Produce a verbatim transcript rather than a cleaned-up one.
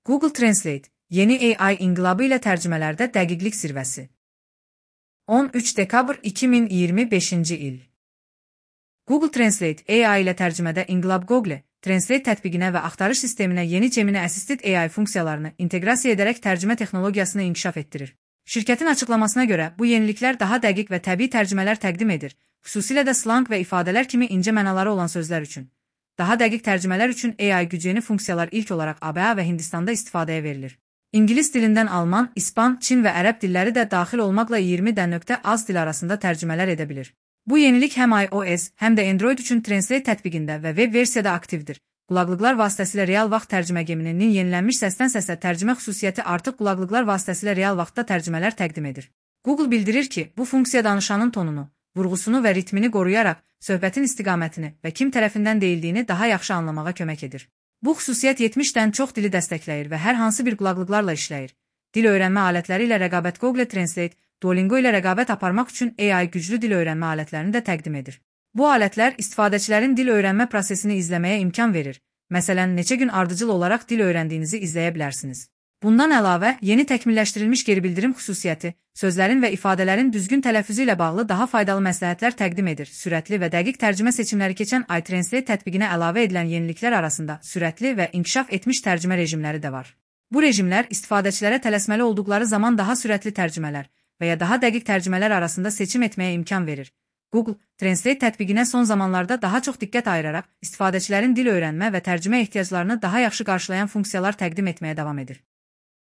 Google Translate, yeni A I inqilabı ilə tərcümələrdə dəqiqlik zirvəsi. on üç dekabr iki min iyirmi beşinci il. Google Translate A I ilə tərcümədə inqilab Google Translate tətbiqinə və axtarış sisteminə yeni Gemini Assisted A I funksiyalarını inteqrasiya edərək tərcümə texnologiyasını inkişaf etdirir. Şirkətin açıqlamasına görə bu yeniliklər daha dəqiq və təbii tərcümələr təqdim edir, xüsusilə də slang və ifadələr kimi incə mənaları olan sözlər üçün. Daha dəqiq tərcümələr üçün A I güclü funksiyalar ilk olaraq A B A və Hindistanda istifadəyə verilir. İngilis dilindən Alman, İspan, Çin və Ərəb dilləri də daxil olmaqla iyirmidən nöqtə az dil arasında tərcümələr edə bilir. Bu yenilik həm iOS, həm də Android üçün Translate tətbiqində və web versiyada aktivdir. Qulaqlıqlar vasitəsilə real vaxt tərcümə Gemini'nin yenilənmiş səsdən səsə tərcümə xüsusiyyəti artıq qulaqlıqlar vasitəsilə real vaxtda tərcümələr təqdim edir. Google bildirir ki, bu funksiya danışanın tonunu, vurğusunu və ritmini qoruyaraq söhbətin istiqamətini və kim tərəfindən deyildiyini daha yaxşı anlamağa kömək edir. Bu xüsusiyyət yetmişdən çox dili dəstəkləyir və hər hansı bir qulaqlıqlarla işləyir. Dil öyrənmə alətləri ilə rəqabət Google Translate, Duolingo ilə rəqabət aparmaq üçün A I güclü dil öyrənmə alətlərini də təqdim edir. Bu alətlər istifadəçilərin dil öyrənmə prosesini izləməyə imkan verir. Məsələn, neçə gün ardıcıl olaraq dil öyrəndiyinizi izləyə bilərsiniz. Bundan əlavə, yeni təkmilləşdirilmiş geri bildirim xüsusiyyəti, sözlərin və ifadələrin düzgün tələffüzü ilə bağlı daha faydalı məsləhətlər təqdim edir. Sürətli və dəqiq tərcümə seçimləri keçən iTranslate tətbiqinə əlavə edilən yeniliklər arasında sürətli və inkişaf etmiş tərcümə rejimləri də var. Bu rejimlər istifadəçilərə tələsməli olduqları zaman daha sürətli tərcümələr və ya daha dəqiq tərcümələr arasında seçim etməyə imkan verir. Google Translate tətbiqinə son zamanlarda daha çox diqqət ayıraraq istifadəçilərin dil öyrənmə və tərcümə ehtiyaclarını daha yaxşı qarşılayan funksiyalar təqdim etməyə davam edir.